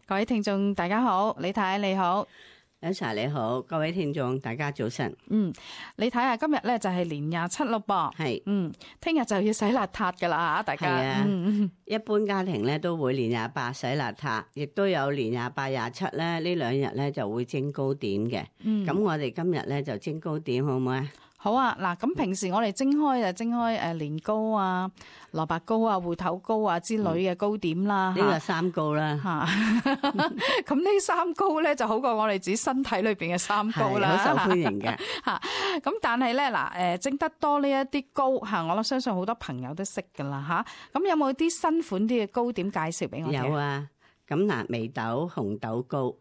各位聽眾大家好，李太你好。Elsa 你好，各位聽眾大家早晨。你睇下今日咧就係年27咯噃，係，聽日就要洗邋遢噶啦吓，大家。係啊，一般家庭咧都會年28洗邋遢，亦都有年28、27咧呢兩日咧就會蒸糕點嘅。咁我哋今日咧就蒸糕點好唔好啊？好啊，嗱，咁平時我哋蒸開年糕啊、蘿蔔糕啊、芋頭糕啊之類嘅糕點啦，呢個三糕啦吓。咁呢三糕咧就好過我哋自己身體裏邊嘅三糕啦，好受歡迎嘅吓。咁但係咧嗱，蒸得多呢一啲糕吓，我相信好多朋友都識噶啦吓。咁有冇啲新款啲嘅糕點介紹俾我哋？有啊，咁嗱，眉豆紅豆糕。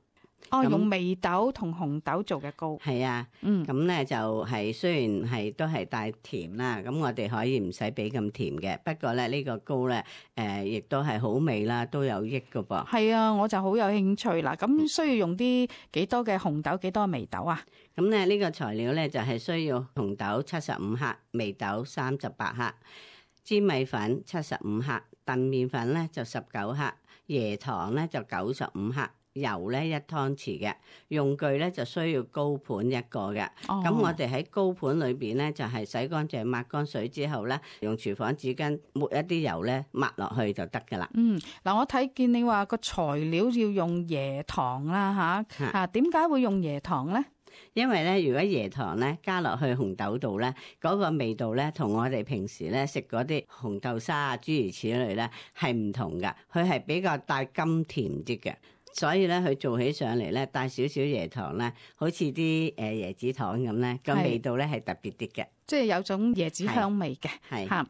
用眉豆同紅豆做嘅糕。係啊，咁咧就係雖然係都係帶甜啦，咁我哋可以唔使俾咁甜嘅，不過咧呢個糕咧亦都係好味啦，都有益噶噃。係啊，我就好有興趣啦。咁需要用啲幾多嘅紅豆，幾多眉豆啊？咁咧呢個材料咧就係需要紅豆75克，眉豆38克，粘米粉75克，燉麵粉咧就19克，椰糖咧就95克。油咧1湯匙嘅，用具咧就需要高盤一個嘅。咁我哋喺高盤裏邊咧就係洗乾淨抹乾水之後咧，用廚房紙巾抹一啲油咧抹落去就得噶啦。嗱，我睇見你話個材料要用椰糖啦吓，點解會用椰糖咧？因為咧，如果椰糖咧加落去紅豆度咧，嗰個味道咧同我哋平時咧食嗰啲紅豆沙啊諸如此類咧係唔同噶，佢係比較帶甘甜啲嘅。所以咧，佢做起上嚟咧，帶少少椰糖咧，好似啲椰子糖咁咧，個味道咧係特別啲嘅，即係有種椰子香味嘅。係嚇，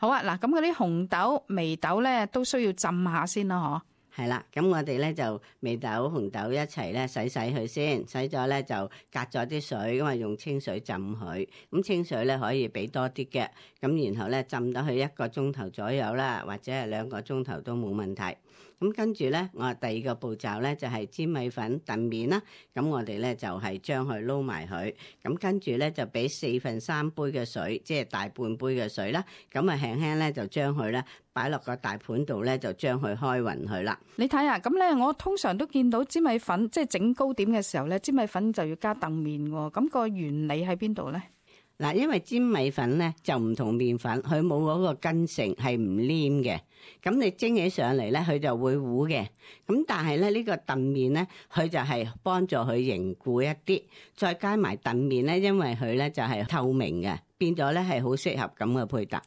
好啊，嗱，咁嗰啲紅豆、眉豆咧都需要浸下先啦，係啦，咁我哋咧就眉豆、紅豆一齊咧洗佢先，洗咗咧就隔咗啲水，咁啊用清水浸佢。咁清水咧可以俾多啲嘅，咁然後咧浸到佢1個鐘頭左右啦，或者係2個鐘頭都冇問題。咁跟住咧，我第二個步驟咧就係粘米粉燉麵啦。咁我哋咧就係將佢撈埋佢。咁跟住咧就俾3/4杯嘅水，即係大半杯嘅水啦。咁啊輕輕咧就將佢咧擺落個大盤度咧，就將佢開勻佢啦。你睇下，咁咧我通常都見到粘米粉，即係整糕點嘅時候咧，粘米粉就要加燉麵喎。咁個原理喺邊度咧？嗱，因為粘米粉咧就唔同麵粉，佢冇嗰個筋性，係唔黏嘅。咁你蒸起上嚟咧，佢就會糊嘅。咁但係咧呢個燉麵咧，佢就係幫助佢凝固一啲，再加埋燉麵咧，因為佢咧就係透明嘅，變咗咧係好適合咁嘅配搭。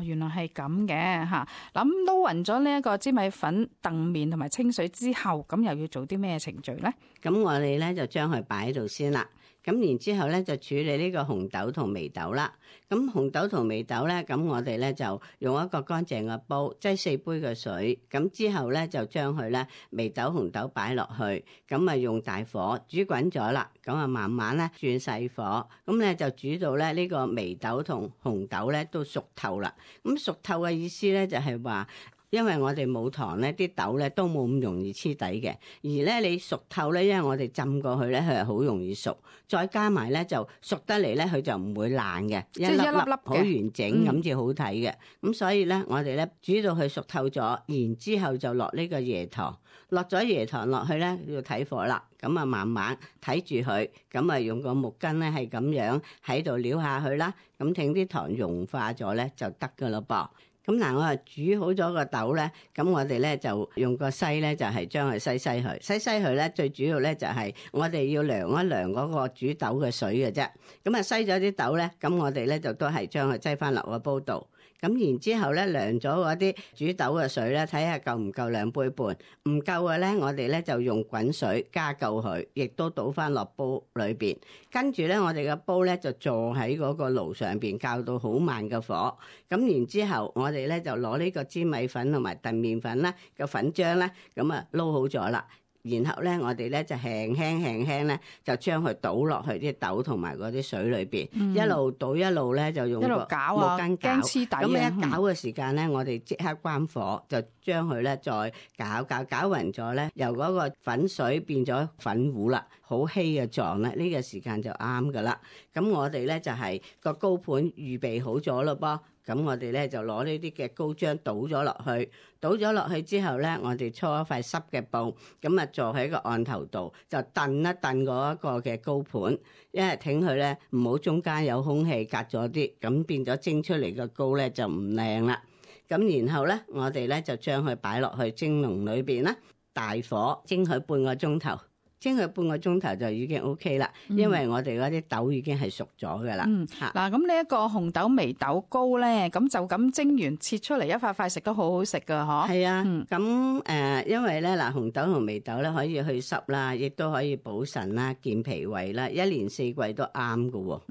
原來係咁嘅嚇。咁撈勻咗呢一個粘米粉、燉麵同埋清水之後，咁又要做啲咩程序咧？咁我哋咧就將佢擺喺度先啦。咁然之後咧就處理呢個紅豆同眉豆啦。咁紅豆同眉豆咧，咁我哋咧就用一個乾淨嘅煲，擠4杯嘅水。咁之後咧就將佢咧眉豆、紅豆擺落去，咁啊用大火煮滾咗啦。咁啊慢慢咧轉細火，咁咧就煮到咧呢個眉豆同紅豆咧都熟透啦。咁熟透嘅意思咧就係話，因為我哋冇糖咧，啲豆咧都冇咁容易黐底嘅。而咧你熟透咧，因為我哋浸過去咧，佢係好容易熟。再加埋咧就熟得嚟咧，佢就唔會爛嘅，即係一粒粒好完整咁至好睇嘅。咁所以咧，我哋咧煮到佢熟透咗，然之後就落呢個椰糖，落咗椰糖落去咧要睇火啦。咁啊慢慢睇住佢，咁啊用個木棍咧係咁樣喺度撩下去啦。咁等啲糖融化咗咧就得噶啦噃。咁嗱，我煮好咗個豆咧，咁我哋咧就用個篩咧，就係將佢篩佢，篩佢咧，最主要咧就係我哋要量一量嗰個煮豆嘅水嘅啫。咁啊篩咗啲豆咧，咁我哋咧就都係將佢擠翻落個煲度。咁然之後咧，量咗嗰啲煮豆嘅水咧，睇下夠唔夠2杯半，唔夠嘅咧，我哋咧就用滾水加夠佢，亦都倒翻落煲裏邊。跟住咧，我哋嘅煲咧就坐喺嗰個爐上邊，較到好慢嘅火。咁然之後，我哋咧就攞呢個粘米粉同埋燉麵粉啦個粉漿咧，咁啊撈好咗啦。然後咧，我哋咧就輕輕咧，就將佢倒落去啲豆同埋嗰啲水裏邊，一路倒一路咧就用個木棍攪，黐底。咁一攪嘅時間咧，我哋即刻關火，就將佢咧再攪勻咗咧，由嗰個粉水變咗粉糊啦，好稀嘅狀咧，呢個時間就啱噶啦。咁我哋咧就係個糕盤預備好咗咯噃。咁我哋咧就攞呢啲嘅膏漿倒咗落去之後咧，我哋搓一塊濕嘅布，咁啊坐喺個案頭度，就燉一燉嗰一個嘅膏盤，因為挺佢咧唔好中間有空氣隔咗啲，咁變咗蒸出嚟嘅膏咧就唔靚啦。咁然後咧，我哋咧就將佢擺落去蒸籠裏邊啦，大火蒸佢半個鐘頭。蒸佢半個鐘頭就已經 OK 啦，因為我哋嗰啲豆已經係熟咗㗎啦。嗱，咁呢一個紅豆眉豆糕咧，咁就咁蒸完切出嚟一塊塊食都好好食㗎，嗬。係啊，咁因為咧嗱，紅豆同眉豆咧可以去濕啦，亦都可以補腎啦、健脾胃啦，一年四季都啱㗎喎。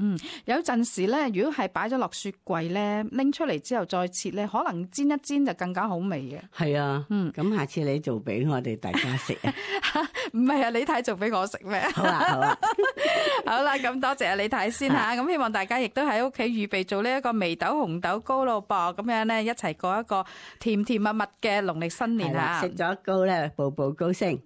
有陣時咧，如果係擺咗落雪櫃咧，拎出嚟之後再切咧，可能煎一煎就更加好味嘅。係啊，咁下次你做俾我哋大家食啊？唔係啊，你睇做俾我食咩？好啊，好啦，咁多謝你睇先吓，咁希望大家亦都喺屋企預備做呢一個眉豆紅豆糕咯噃，咁樣咧一齊過一個甜甜蜜蜜嘅農曆新年啊！食咗糕咧，步步高升。